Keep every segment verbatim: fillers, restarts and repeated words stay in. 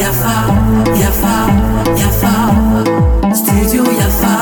Yafa, yafa, yafa. Studio yafa.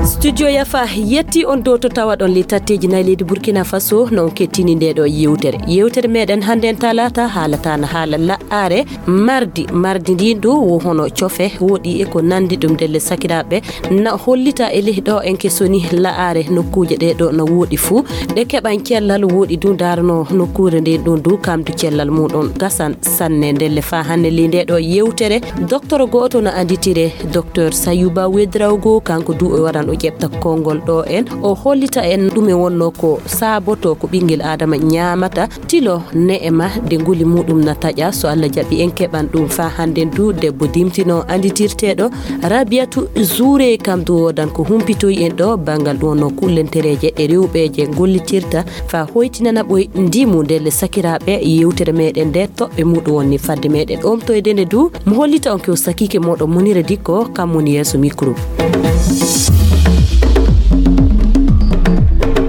Studio yafa yetti on dow to tawaɗon le tatteji nayi leydi Burkina Faso, no on kettini nde ɗo yewtere. Yewtere meɗen hannden talata haalata na haala la'are mardi. Mardi ndin du wo hono cofe woɗi e ko nandi ɗum ndelle sakiraaɓe na hollita e leh ɗo en kesoni la'are nokkuuje ɗe ɗo na woɗi fuu. Ɗe keɓan cellal woɗi du ndaarano nokkuure nde ɗum du kamdu cellal muɗum gasan sanne ndelle faa hannde le nde ɗo yewtere. Docteur gooto na anditire, Docteur Sayuba Wedrawgo, kanko du o waran o ƴeɓta konngol ɗo en. O hollita en ɗume wonno ko saaboto ko ɓinngel Adama ñaamata, tilo ne'e ma de nguli muɗum na taƴa. So Allah jaɓi en keɓan ɗum faa hannde du debbo dimtino anditirteɗo Rabiatu Zure, kam du wodan ko humpitoyi en ɗo banngal ɗo no kullentereeje e rewɓeeje gollitirta faa hoytinana ɓoy ndimu ndelle sakiraaɓe yewtere meɗen nde toɓɓe muɗum wonni fadde meɗen omtoyde nde du mo hollita on ke o sakike moɗo Munira Dikko kam woni yeeso micro.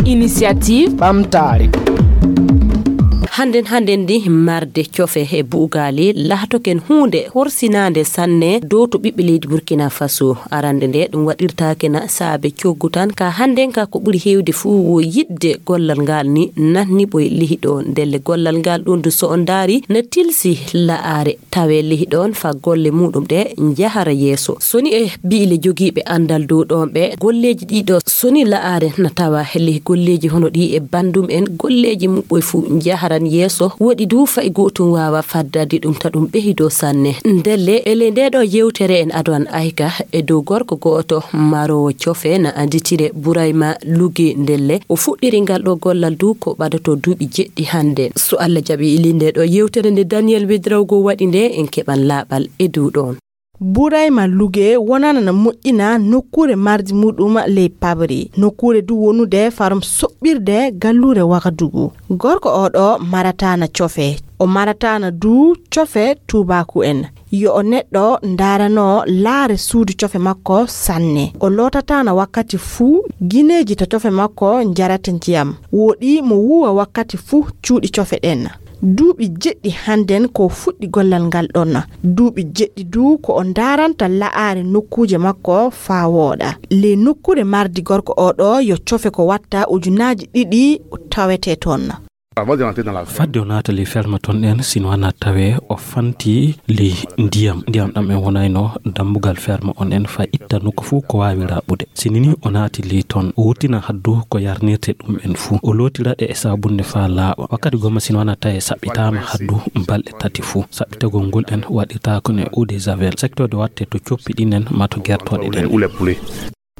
Initiative ɓamtaare. Hannden, hannden ndi marde cofe e buugaali lahtoken huunde horsinaande sanne dow to ɓiɓɓe leydi Burkina Faso. Arande nde ɗum waɗirtaake na saabe coggu tan. Ka hannden ka ko ɓuri heewde fuu wo yiɗde gollal ngal ni nanni ɓoy lihi ɗo. Ndelle gollal ngal ɗum du so on ndaari na tilsi la'aare tawe lihi ɗon faa golle muɗum ɗe njahara yeeso. So ni e bi'ile jogiiɓe anndal dow ɗon ɓe golleeji ɗi ɗo so ni la'aare na tawa lihi golleeji hono ɗi e banndum en golleeji muɓɓoy fuu njaharan yeeso. Woɗi du fa'i gootum waawa faddade ɗum ta ɗum ɓehido sanne. Ndelle e ley nde ɗo yewtere en ado an ayka e dow gorko gooto maroowo cofe na annditire Burayma Luge. Ndelle o fuɗɗiri ngal ɗo gollal du ko ɓadato duuɓi jeɗɗi hannde. So Allah jaɓi ili nde ɗo yewtere nde Daniel Wedrawgo waɗi nde en keɓan laaɓal e dow ɗon. Burayma Luge wonana na moƴƴina nokkuure mardi muɗum ley Pabri. Nokkuure du wonude farum soɓɓirde galluure Wagadugu. Gorko o ɗo maratana cofe. O maratana du cofe tuubaaku en. Yo o neɗɗo ndaarano laare suudu cofe makko sanne. O lootatana wakkati fuu gineeji to cofe makko njarata ndiyam. Woɗi mo wuuwa wakkati fuu cuuɗi cofe ɗen. Duuɓi jeɗɗi hannden ko fuɗɗi gollal ngal ɗon. Duuɓi jeɗɗi du ko o ndaaranta la'aare nokkuuje makko faa wooɗa. Ley nokkuure mardi gorko o ɗo yo cofe ko watta ujunaaji ɗiɗi tawete ton. Fadde o naata ley ferme ton ɗen, sino ana tawe o fanti ley ndiyam. Ndiyam ɗam en wonayno dambugal ferme on en faa itta nokku fuu ko waawi raɓɓude. Sini ni o naati ley ton, o wurtina haddu ko yarnirte ɗum en fuu. O lootira ɗe e saabunde faa laaɓa. Wakkati gomma sino ana tawe saɓɓitaama haddu balɗe tati fuu. Saɓɓitagol ngol en waɗirtaako ne eau de javel. Sektoode watte to coppi ɗin en maa to gertooɗe ɗen.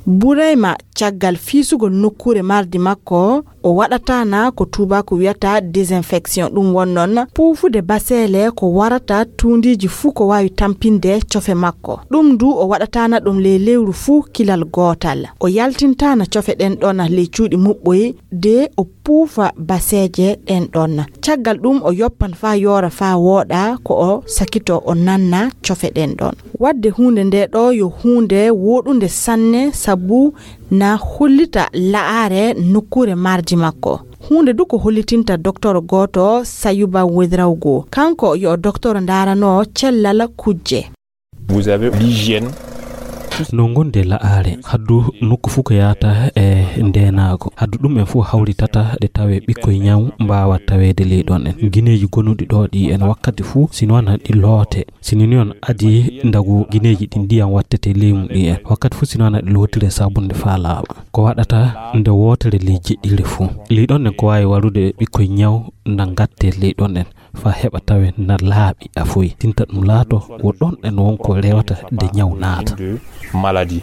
Burayma, caggal fiisugol nokkuure mardi makko, o waɗatana ko tuubaaku wiyata désinfection. Ɗum won noon puufude baseele ko warata tuundiiji fuu ko waawi tampinde cofe makko. Ɗum du o waɗatana ɗum ley lewru fuu kilal gootal. O yaltintana cofe ɗen ɗon ley cuuɗi muɓɓoy de o puufa baseeje ɗen ɗon. Caggal ɗum o yoppan faa yoora faa wooɗa ko o sakito o nanna cofe ɗen ɗon. Waɗde huunde nde ɗo yo huunde wooɗunde sanne sabu na hollita la'aare nokkuure mardi makko. Huunde du ko hollitinta doktor gooto Sayuba Wedrawgo. Kanko yo o doktor ndaarano cellal kujje. Vous avez l'hygiène. No gonde la'aare, haddu nokku fuu ko yaata e ndeenaago. Haddu ɗum en fuu hawritata ɗe tawe ɓikkoy ñaw mbaawa taweede ley ɗon en. Gineeji gonuɗi ɗo ɗi en wakkati fuu, sino ana ɗi loote. Sini ni on adi ndagu gineeji ɗi ndiyam wattete ley mum ɗi en. Wakkati fuu sino ana ɗi lootire saabunde faa laaɓa. Ko waɗata nde wootere ley jeɗɗire fuu. Ley ɗon en ko waawi warude ɓikkoy ñaw nda ngatte ley ɗon en. Faa heɓa tawe na laaɓi a foy. Tinta ɗum laato wo ɗon en won ko rewata de ñaw naata. Maladie.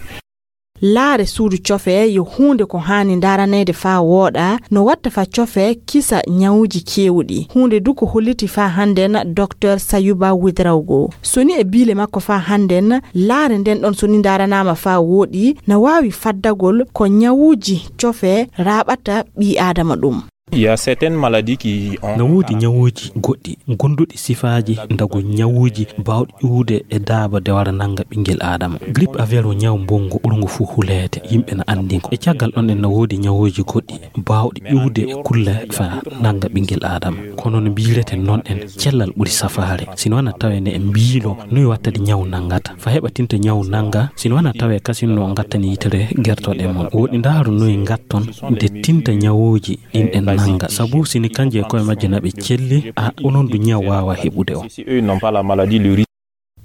Laare suudu cofe yo huunde ko haani ndaaraneede faa wooɗa, no watta faa cofe kisa ñawuuji keewuɗi. Huunde du ko holliti faa hannden doktor Sayuba Widrawgo. So ni e biile makko faa hannden, laare nden ɗon so ni ndaaranaama faa wooɗi, na waawi faddagol ko ñawuuji cofe raaɓata ɓii aadama ɗum. Il y a certaines maladies qui ont... No woodi ñawuuji goɗɗi gonduɗi sifaaji ndagu ñawuuji baawɗi ƴuwde e daaba de wara nannga ɓinngel Aadama. Grippe aviaire o ñaw mbonngu ɓurngu fuu huleede, yimɓe na anndi ngo. E caggal ɗon en no woodi ñawuuji goɗɗi baawɗi ƴuwde e kulle fa nannga ɓinngel Aadama. Kono no mbiireten noon en, cellal ɓuri safaare. Sino wona tawe ne en mbiilo noy wattadi ñaw nanngata. Fa heɓa tinta ñaw nannga, sino wona tawe kasin no ngattani yitere gertoɗe mon. Woɗi ndaaru noy ngatton de tinta ñawuuji ɗin en nannga. Sabu sini kanje e koye majje na ɓe celli, a onon du ñaw waawa heɓude o. Si eux n'ont pas la maladie, le risque...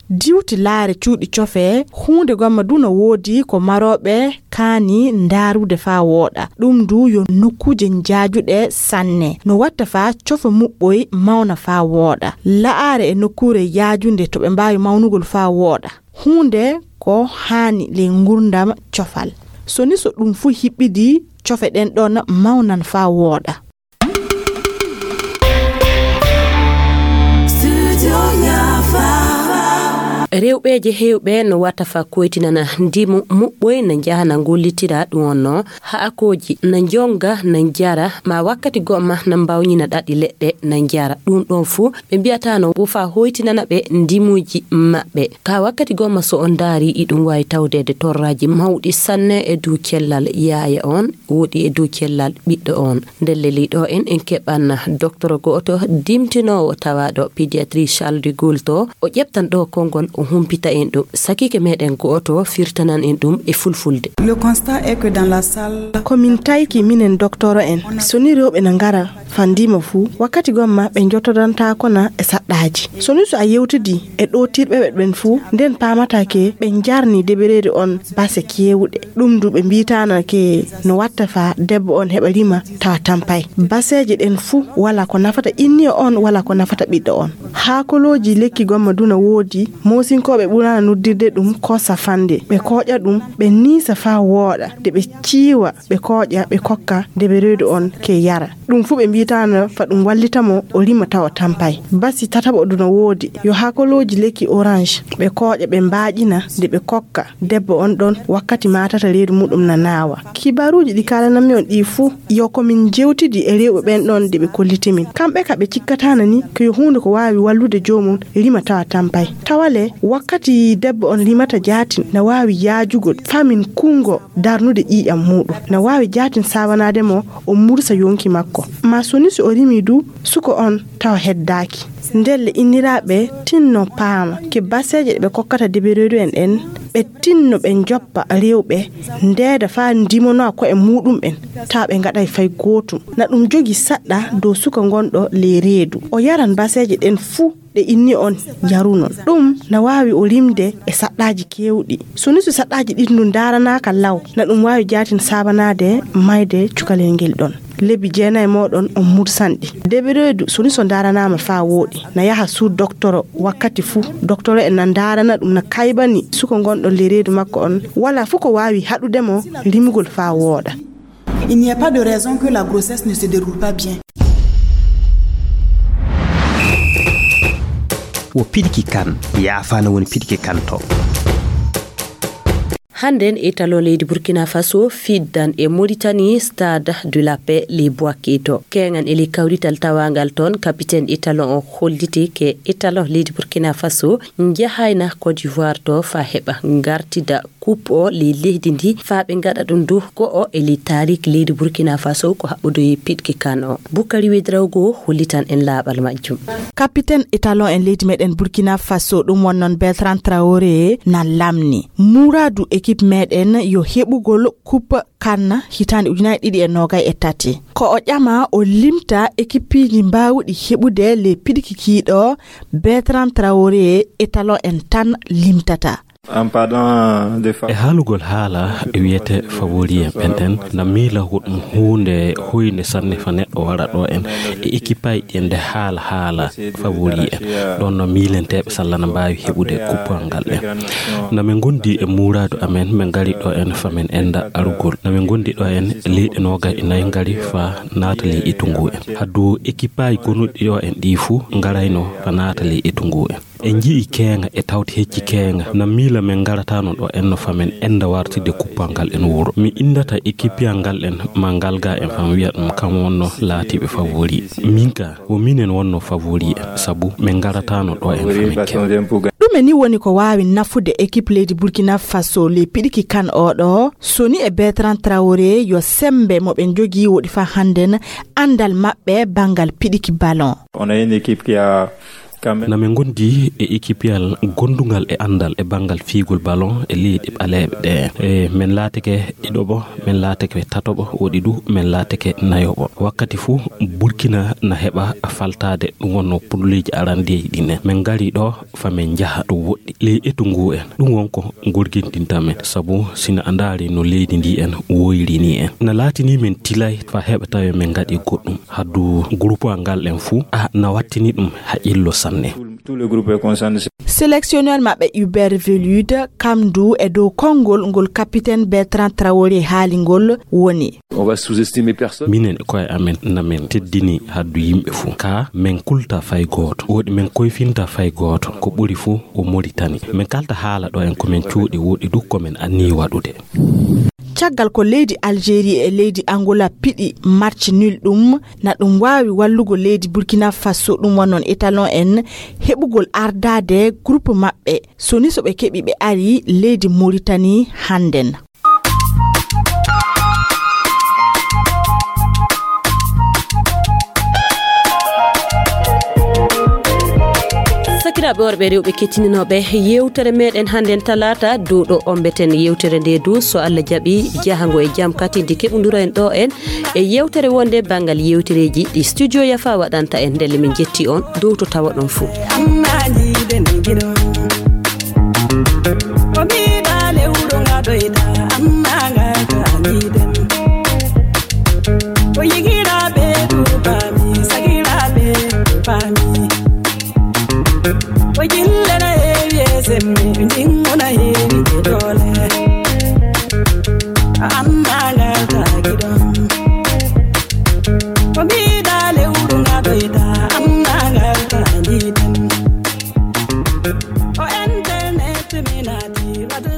Diwti laare cuuɗi cofe, huunde gomma du no woodi ko marooɓe kaani ndaarude faa wooɗa. Ɗum du yo nokkuuje njaajuɗe sanne. No watta faa cofe muɓɓoy mawna faa wooɗa. La'aare e nokkuure yaajunde to ɓe mbaawi mawnugol faa wooɗa. Huunde ko haani ley ngurdam cofal. So ni so ɗum fuu hiɓɓidi, cofe ɗen ɗon mawnan faa wooɗa. Rewɓeeje heewɓe no wata fa koytinana ndimu muɓɓoy na njaha na ngollitira ɗum on no haakooji na njonga na njara ma wakkati gomma na mbawñina ɗaɗi leɗɗe na njara ɗum ɗon fuu ɓe mbiyatano wo fa hoytinana ɓe ndimuuji maɓɓe ka wakkati gomma so on ndaari iɗum waawi tawdeede torraaji mawɗi sanne e dow cellal yaaya on woɗi e dow cellal ɓiɗɗo on. Ndelle ley ɗo en en keɓan doktoro go'oto dimtinoowo tawaaɗo pédiatrie Charles de Gaulle to o ƴeftan ɗo konngol o humpita en ɗum sakiike meɗen go'oto firtanan en ɗum e fulfulde. Le constat est que dans la salle... Ko min tayki minen doktoro en so ni rewɓe na ngara fandima fuu wakkati gomma ɓe njottodantaako na e saɗɗaaji. So ni so a yewtidi e ɗootirɓe ɓe ɓen fuu nden paamata ke ɓe njarni debereede on base keewuɗe. Ɗum du ɓe mbiitaana ke no watta fa debbo on heɓa rima tawa tampay. Baseeje ɗen fuu wala ko nafata inniyo on wala ko nafata ɓiɗɗo on. Haakolooji lekki gomma du na woodi, moosinkooɓe ɓuraana noddirde ɗum kosa fande. Ɓe kooƴa ɗum, ɓe niisa faa wooɗa, de ɓe ciiwa, ɓe kooƴa, ɓe kokka debereedu on ke yara. Ɗum fuu ɓe mbiitaana fa ɗum wallita mo o rima tawa tampay. Basi tataɓo du na woodi, yo haakolooji lekki orange, ɓe kooƴa, ɓe mbaaƴina, de ɓe kokka debbo on ɗon wakkati maatata reedu muɗum na naawa. Kibaaruuji ɗi kaalanammi on ɗi fuu, yo ko min jewtidi e rewɓe ɓen ɗon de ɓe kolliti min. Kamɓe ka ɓe cikkataana ni ko yo huunde ko waawi wallude joomum rima tawa tampay. Tawale wakkati debbo on rimata jaatin na waawi yaajugol faa min kunngo darnude ƴiiƴam muɗum. Na waawi jaatin saabanaade mo o mursa yonki makko. Ma so ni so o rimi du, suko on tawa heddaaki. Ndelle inniraaɓe tinno paama ke baseeje ɗe ɓe kokkata debereedu en ɗen, ɓe tinno ɓe njoppa rewɓe, ndeeda faa ndimanoa ko'e muɗum ɓen, taa ɓe ngaɗay fay gootum. Na ɗum jogi saɗɗa dow suka ngonɗo ley reedu. O yaran baseeje ɗen fuu ɗe inni on yarunon. Ɗum na waawi o rimde e saɗɗaaji keewɗi. So ni so saɗɗaaji ɗin du ndaaranaaka law, na ɗum waawi jaatin saabanaade mayde cukalel ngel ɗon. Lebbi jeenayi mooɗon on mursanɗi. Debereedu so ni so ndaaranaama faa wooɗi, na yaha suudu doktoro wakkati fuu. Doktoro en na ndaarana ɗum na kaybani suka ngonɗo ley reedu makko on, wala fuu ko waawi haɗude mo rimugol faa wooɗa. Il n'y a pas de raison que la grossesse ne se déroule pas bien. Wo piɗki kan, yaafaana woni piɗki kan to. Hannden étalon leydi Burkina Faso fiddan e Mauritanie Stade de la Paix ley Bouaké to. Keeŋan e ley kawrital tawaangal toon, kapiten étalon o holliti ke étalon leydi Burkina Faso njahayna Côte d'Ivoire to faa heɓa ngartida coupe o ley leydi ndi faa ɓe ngaɗa ɗum du ko o e ley taariik leydi Burkina Faso ko haɓɓodoyi piɗki kan o. Bukari Wedrawgo hollitan en laaɓal majjum. Kapiten étalon en leydi meɗen Burkina Faso ɗum won noon Bertrand Traoré na lamni. Muraadu équipe meɗen yo heɓugol coupe kan hitaande ujunaaji ɗiɗi e noogay e tati. Ko o ƴama o limta équipeiji mbaawuɗi heɓude ley piɗki kiiɗo Bertrand Traoré étalon en tan limtata. En parlant de fa- E haalugol haala e wiyete favori en ɓen ɗen na miila ko ɗum huunde hoynde sanne fa neɗɗo wara ɗo en e équipeaji ɗi en nde haala haala favori en ɗon no miilenteeɓe salla na mbaawi heɓude coupe ngal ɗen. Na min ngondi e muraadu amen min ngari ɗo en fa min enda arugol. Na min ngondi ɗo en leyɗe noogay e nayi ngari fa naata ley etungu en. Haddu équipeaji gonuɗi ɗo en ɗi fuu ngarayno fa naata ley etungu en. En nji'i keeŋa e tawti hecci keeŋa. Na miila men ngarataano ɗo en no fa men enda wartide kuppal ngal en wuro. Mi indata ekipiyal ngal en ma ngal ga en fam wi'a ɗum kam wonno laatiiɓe favori. Min ka, wo minen wonno favori en, sabu men ngarataano ɗo en fa men keeŋa. Ɗume ni woni ko waawi nafude ekip leydi Burkina Faso ley piɗiki kan oɗo? So ni e Bertrand Traoré yo sembe mo ɓe njogii woɗi fa hannden anndal maɓɓe banngal piɗiki ballon. On a une équipe qui a quand même Na men ngondi e ekipiyal gondungal e anndal e banngal fiigol ballon e leyɗe ɓaleeɓe ɗe. E men laatike ɗiɗoɓo, men laatike tatoɓo, woɗi du men laatike nayoɓo. Wakkati fuu Burkina na heɓa faltaade, ɗum wonno pulleeji arandeeji ɗin en. Men ngari ɗo fa men njaha ɗum woɗɗi. Ley etu ngu en, ɗum won ko ngurgintinta men, sabu sina a ndaari no leydi ndi en woyri ni en. Na laatini men tilay fa heɓa tawe men ngaɗi goɗɗum. Haddu groupe ngal en fuu, a na wattini ɗum haqqillo sanne. Tout le groupe est concerné. Sélectionneur maɓɓe Hubert Velud, kam du e dow konngol ngol capitaine Bertrand Traoré haali ngol woni. On va sous-estimer personne. Minen e koye amen, na men teddini haddu yimɓe fuu. Ka men kulta fay gooto. Woɗi men koyfinta fay gooto. Ko ɓuri fuu o Moritani. Men kalta haala ɗo en ko men cuuɗi, woɗi du ko men annii waɗude. Caggal ko leydi Algérie e leydi Angola piɗi match nul ɗum, na ɗum waawi wallugo leydi Burkina Faso, ɗum wonnon étalon en, heɓugol ardaade groupe maɓɓe. So ni so ɓe keɓi ɓe ari leydi Moritani hannden. Sakiraaɓe worɓe e rewɓe kettininooɓe yewtere meɗen hannden talaata dow ɗo ombeten yewtere nde du, so Allah jaɓi, jahango e jam katidi keɓundura en ɗo en e yewtere wonde banngal yewtereeji ɗi studio Yafa waɗanta en. Ndelle min jetti on dow to tawa ɗon fuu. Amma jiiden giɗo. Ko mbiɗa lewru ngaɗoyta, amma ngal ka miiden. Ko yigiraaɓe duubaami, sagiraaɓe duubaami. Ko jillena heewi e sembe, jinguna heewi e doole. Amma ngal ka giɗon. Ko mbiɗa lewru ngaɗoyta, amma ngal ka jiiden. O internet mi naati, waɗu